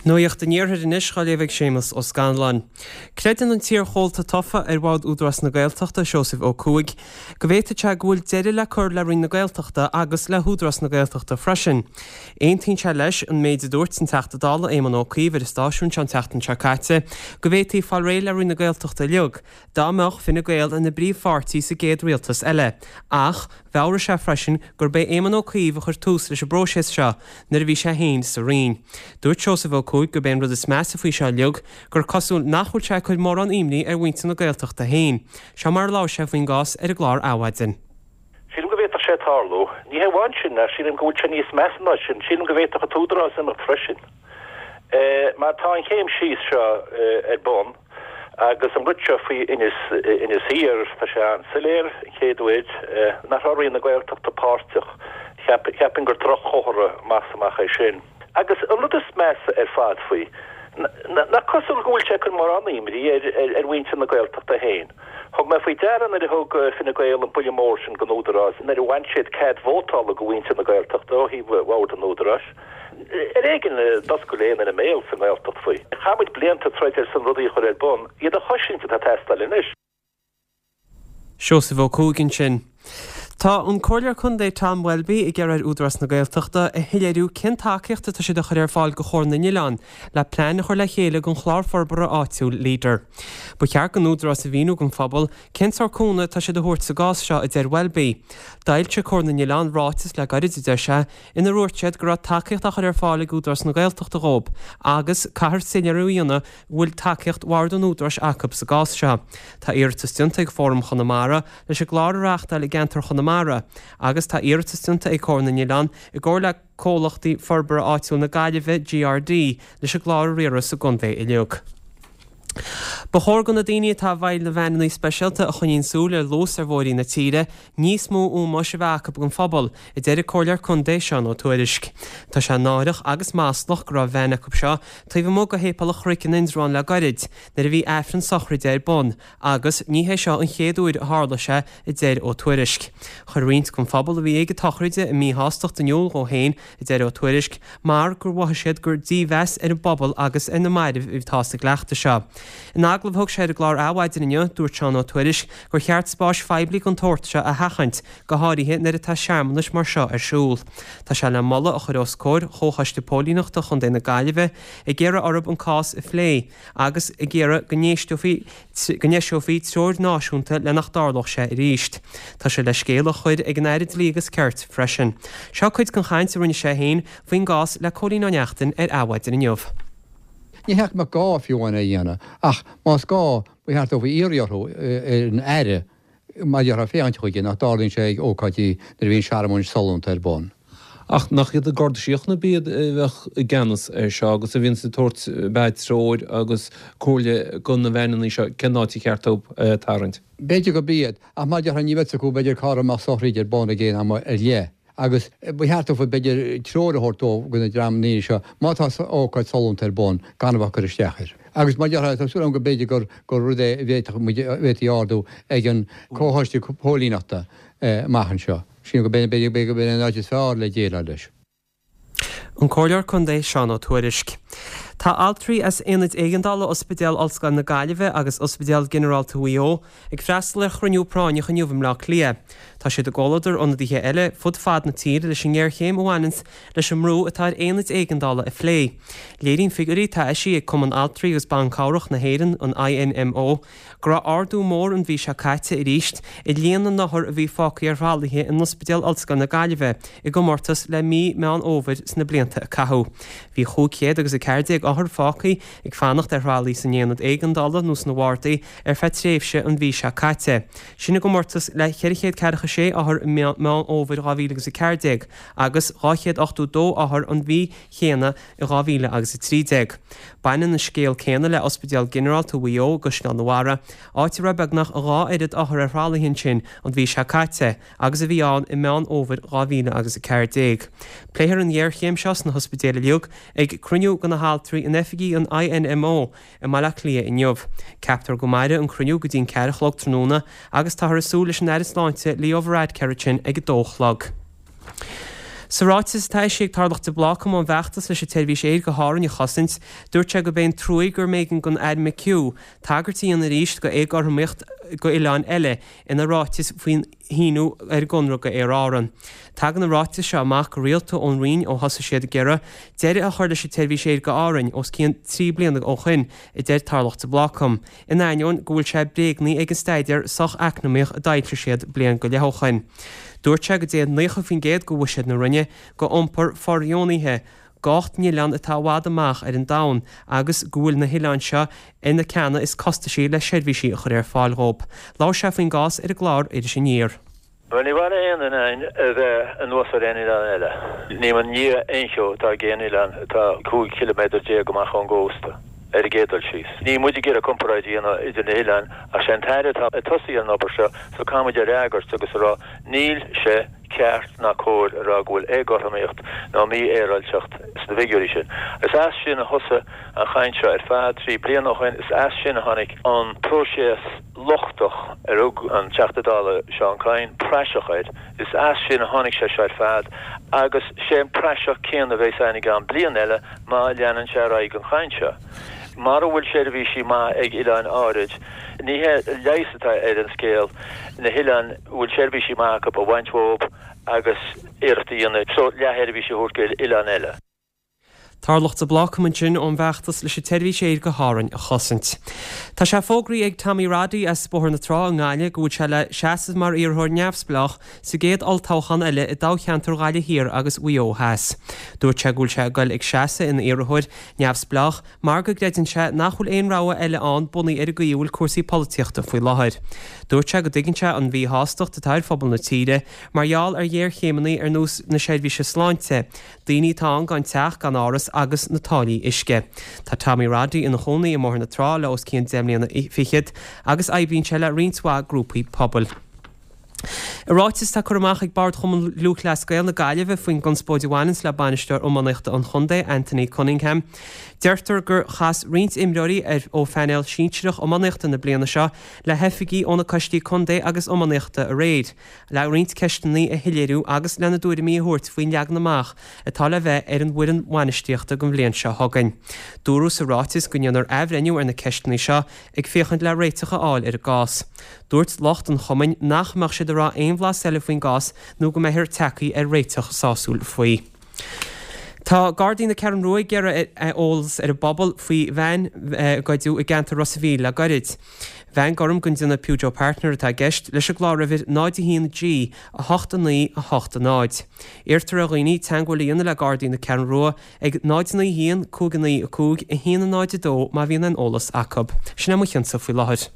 Nuacht an Iarthair anois á léamh ag Séamus Ó Scanláin. Creideann an t-iarchomhalta tofa ar Bhord Údarás na Gaeltachta, Seosamh Ó Cuaig, go bhféadfadh sé go bhfuil deireadh le cur le Roinn na Gaeltachta agus le hÚdarás na Gaeltachta freisin. Aontaíonn sé leis an méid a dúirt an Teachta Dála Éamon Ó Cuív ar an stáisiún seo an tseachtain seo caite, go bhféadfaí fáil réidh le Roinn na Gaeltachta uilig, dá mbeadh Fine Gael ina bpríomhpháirtí sa gcéad rialtas eile, ach mheabhraigh sé freisin gurb é Éamon Ó Cuív a chuir tús leis an bpróiseas seo nuair a bhí sé féin sa Roinn. Dúirt Seosamh Ó Cuaig gurb é an rud is measa faoi seo uilig gur cosúil nach bhfuil sé ag cur mórán imní ar mhuintir na Gaeltachta féin. Seo mar a labhair sé faoin gcás ar an gclár Adhmhaidin. Sílim go bhféadfadh sé tarlú. Ní hé amháin sin, ach sílim go bhfuil sé níos measa ná sin. Sílim go bhféadfadh an tÚdarás imeacht freisin. Mar tá an chéim síos seo ar bun agus an rud seo faoi Inis, Inis Oírr, tá sé an-soiléir, an chéad uair nach raibh Roinn na Gaeltachta páirteach. Cheapfainn gur droch-chomhartha amach is amach é sin. Agus an rud is measa ar fad faoi, nach cosúil go bhfuil sé ag cur mórán imní ar mhuintir na Gaeltachta féin. Thug mé faoi deara nuair a thug Fine Gael an buille mór sin don Údarás, nuair a bhain siad cead vótála go mhuintir na Gaeltachta ó thaobh Bhord an Údaráis. Ar éigean a d'oscail aon duine a mbéal sa nGaeltacht faoi. Chaith muid blianta ag troid ar son rudaí a chur ar bun, iad a chosaint atá ag teastáil anois. Seosamh Ó Cuaig ansin. Tá an Comhairleoir Contae Tom Welby ag iarraidh ar Údarás na Gaeltachta a shoiléiriú cén tacaíocht atá siad a chur ar fáil do Chomhar na nOileán le plean a chur le chéile don chlár forbartha áitiúil Leader. Ba cheart don Údarás a mhíniú don phobal cén sórt cúnamh atá siad a thabhairt sa gcás seo, a deir Welby. D'fhoilsigh Comhar na nOileán ráiteas le gairid, a deir sé, inar dhúirt siad go raibh tacaíocht á chur ar fáil ag Údarás na Gaeltachta dhóibh agus caithfear soiléiriú a dhéanamh go bhfuil tacaíocht Bhord an Údaráis acu sa gcás seo. Tá iarratas déanta ag Fóram Chonamara leis an gclár a reáchtáil i gceantar Chonamara agus tá iarratas déanta ag Comhar na nOileán i gcomhar le Comhlachtaí Forbartha Áitiúil na Gaillimhe, GRD, leis an gclár a riaradh sa gcontae uilig. Ba chóir do na daoine atá i bhfeighil na veaineanna speisialta a choinníonn súil ar luas ar bhóithrí na tíre níos mó ómóis a bheith acu don phobal, a deir an Comhairleoir Contae Seán Ó Tuairisg. Tá sé náireach agus maslach go raibh veain acu seo taobh amuigh de Shéipéal an Chnoic in Indreabhán le gairid nuair a bhí Aifreann sochraide ar bun agus ní hé seo an chéad uair a tharla sé, a deir Ó Tuairisg. Chuir roinnt den phobal a bhí ag an tsochraid a míshástacht in iúl dhó féin, a deir Ó Tuairisg, mar gur mhothaigh siad gur dímheas ar an bpobal agus ar na mairbh atá sa gcleachtadh seo. In agallamh a thug sé ar an gclár Adhmhaidin inniu, dúirt Seán Ó Tuairisg gur cheart spáis phoiblí den tsórt seo a sheachaint, go háirithe nuair atá searmanais mar seo ar siúl. Tá sé le moladh a chur os comhair Chomhchoiste Póilíneachta Chontae na Gaillimhe ag iarraidh orthu an cás a phlé agus ag iarraidh go n-éisteofaí go n-eiseofaí treoir náisiúnta le nach dtarlódh sé arís. Tá sé le scéal a chur ag an Aire Dlí agus Cirt freisin. Seo cuid den chaint a rinne sé féin faoin gcás le Cóilín Ó Neachtain ar Adhmhaidin inniu. Ní hé go mbeadh gá fiú amháin é a dhéanamh, ach más gá, ba cheart dófa iarraidh orthu, ar an Aire, mar a déarfá, féachaint chuige nach dtarlaíonn sé ag ócáidí nuair a bhíonn searmanas sollúnta ar bun. Ach nach iad an Garda Síochána ab iad a bheadh i gceannas air seo agus a bhíonns ag tabhairt b'fhéidir treoir agus comhairle do na veaineanna seo cén áit ar cheart dóibh tarraingt? B'fhéidir gurb iad, ach mar a déarfá ní bheadh fhios acu b'fhéidir cá raibh mbeadh sochraid ar bun ag aon am ar leith. Agus ba cheart dófa b'fhéidir treoir a thabhairt dóibh do na dream daoine seo má tá ócáid sollúnta ar bun gan a bheith ag cur isteach air. Agus mar a déarfá tá súil agam go b'fhéidir gur gur rud é a bhféadfadh muid a bhféadfaí a ardú ag an Comhchoiste Póilíneachta amach anseo. Sílim go b'fhéidir gurb in an áit is fearr le déileáil leis. An Comhairleoir Contae Seán Ó Tuairisg. Tá altraí as Aonaid Éigeandála Ospidéal Ollscoile na Gaillimhe agus Ospidéal Ginearálta Mhaigh Eo ag freastal ar chruinniú práinneach inniu i mBleá Cliath. Tá siad i gcomhluadar ionadaithe eile fud fad na tíre leis an ngéarchéim a bhaineanns leis an mbrú atá ar aonaid éigeandála a phlé. Léiríonn figiúirí atá eisithe ag Cumann Altraí agus Ban Cabhrach na hÉireann, an INMO, go raibh ardú mór an mhí seo caite arís i líon na n-othar a bhí fágtha ar thralaithe in Ospidéal Ollscoile na Gaillimhe i gcomórtas le mí Meán Fhómhair sna blianta a caitheadh. Bhí 500 agus 14 othar fágtha ag fanacht ar thralaí san aonad éigeandála nó sna bhardaí ar feadh tréimhse an mhí seo caite. Sin i gcomórtas le 446 othar i mí Meán Fhómhair 2014 agus 282 othar an mhí chéanna i 2013. Baineann an scéal céanna le Ospidéal Ginearálta Mhaigh Eo i gCaisleán na Mhara, áit a raibh beagnach a dhá oiread othar ar thralaithe ansin an mhí seo caite agus a bhí ann i Meán Fhómhair 2014. Pléifear an ghéarchéim seo sna hospidéil uilig ag cruinniú de na haltraí in oifigí an INMO i mBaile Átha Cliath inniu. Ceaptar go mairfidh an cruinniú go dtí an ceathair a chlog tráthnóna agus táthar ag súil leis an Aire Sláinte Leo Varadkar ansin ag a dó a chlog. Sa ráiteas atá eisithe ag Tarlach de Blácam ón bhfeachtas leis an tseirbhís aeir go hÁrainn a chosaint, dúirt sé gurb é an truaí gur mb'éigean don Aire McHugh tagairt a dhéanamh arís go éagothromaíocht go oileáin eile ina ráiteas faoin shíniú ar an gconradh go Aer Árann. Tagann na ráitis seo amach go rialta ón Roinn ó thosaigh siad ag iarraidh deireadh a chur leis an tseirbhís aeir go Árainn os cionn 3 bliana ó shoin, a deir Tarlach de Blácam. in ainneoin go bhfuil sé bréagnaithe ag an staidéar soch-eacnamaíoch a d'fhoilsigh siad bliain go leith ó shoin. Dúirt sé go dtéann 90% de bhuiséad na Roinne go iompar fóirdheonaithe go 8 n-oileán atá i bhfad amach ar an domhan agus go bhfuil na hoileáin seo ar na ceanna is costaisí le seirbhísí a chur ar fáil dhóibh. Labhair sé faoin gcás ar an gclár Iris Aniar. Bhuel, ní mhaith le aon duine againn a bheith anuas ar aon oileán eile. Ní i ndiaidh aon cheo atá ag aon oileán atá 15 chiliméadar amach ón gcósta, ar an gcéad dul síos. Níl muid ag iarraidh comparáid a dhéanamh idir na hoileáin ach sé an tAire atá ag tosaí ar an obair seo so caithfidh muid a fhreagairt agus a rá níl sé ceart ná cóir a rá go bhfuil éagothromaíocht nó mífhéaráilteacht sna figiúirí sin. Is as sin a thosaigh an chaint seo ar fad 3 bliana ó shin, is as sin a tháinig an próiseas. lochtach ar thug an Teachta Dála Seán Kyne praiseach air. Is as sin a tháinig sé seo ar fad agus sé an praiseach céanna a bheas ann i gceann bliain eile má leanann sé ar aghaidh an chaint seo. Mara bhfuil seirbhísí maith ag oileáin áirid, ní hé leigheas atá ar an scéal na hoileáin a bhfuil seirbhísí maith acu a bhaint uathu agus iarracht a dhéanamh sórt leathsheirbhís a thabhairt go oileáin eile. Tarlach de Blácam ansin ón bhfeachtas leis an tseirbhís aeir go hÁrainn a chosaint. Tá sé fógraithe ag Tommy Roddy as Bóthar na Trá i nGaillimh go bhfuil sé le seasamh mar iarrthóir neamhspleách sa gcéad olltoghchán eile i dtoghcheantar Ghaillimh Thiar agus Mhaigh Eo Theas. Dúirt sé go bhfuil sé ag goil ag seasamh ina iarrthóir neamhspleách mar go gcreideann sé nach bhfuil aon rogha eile ann bunaithe ar an gcaoi a bhfuil cúrsaí polaitíochta faoi láthair. Dúirt sé go dtuigeann sé an mhíshástacht atá ar phobal na tíre mar gheall ar ghéarchéimeanna ar nós na seirbhíse sláinte, Daoine atá ann gan teach, gan áras agus na táillí uisce. Tá Tommy Roddy ina chónaí i mBóthar na Trá le os cionn 10 mbliana fichead agus oibríonn sé le roinnt mhaith grúpaí pobail. I ráiteas atá curtha amach ag Bord Chumann Lúthchleas Gael na Gaillimhe faoin gconspóid a bhaineanns le bainisteoir iománaíochta an chontae, Anthony Cunningham, deirtear gur chas roinnt imreoirí ar ó phainéal sinsearach iománaíochta na bliana seo le hoifigigh ó na coistí contae agus iománaíochta aréir. le roinnt ceisteanna a shoiléiriú agus lena dtuairimí a thabhairt faoin leagan amach atá le bheith ar an bhfoireann bhainistíochta don bhliain seo chugainn. Dúradh sa ráiteas go ndéanfar athbhreithniú ar na ceisteanna seo ag féachaint le réiteach a fháil ar an gcás. Dúirt lucht an chumainn nach mbeadh siad ag rá aon bhlas eile faoin gcás nó go mbeifear tagtha ar réiteach sásúil faoi. Tá Gardaí na Ceathrún Rua ag iarraidh eolas ar an bpobal faoi veain a goideadh i gceantar Ros an Mhíl le goirid. Veain gorm den déanamh Peugeot Partner atá i gceist, leis an gcláruimhir 0 1 G 8 9 8 0. Iarrtar ar dhaoine teagmháil a dhéanamh le Gardaí na Ceathrún Rua ag 0 9 1 5 9 5 1 0 2 má bhíonn aon eolas acu. Sin é mo chionsa faoi láthair.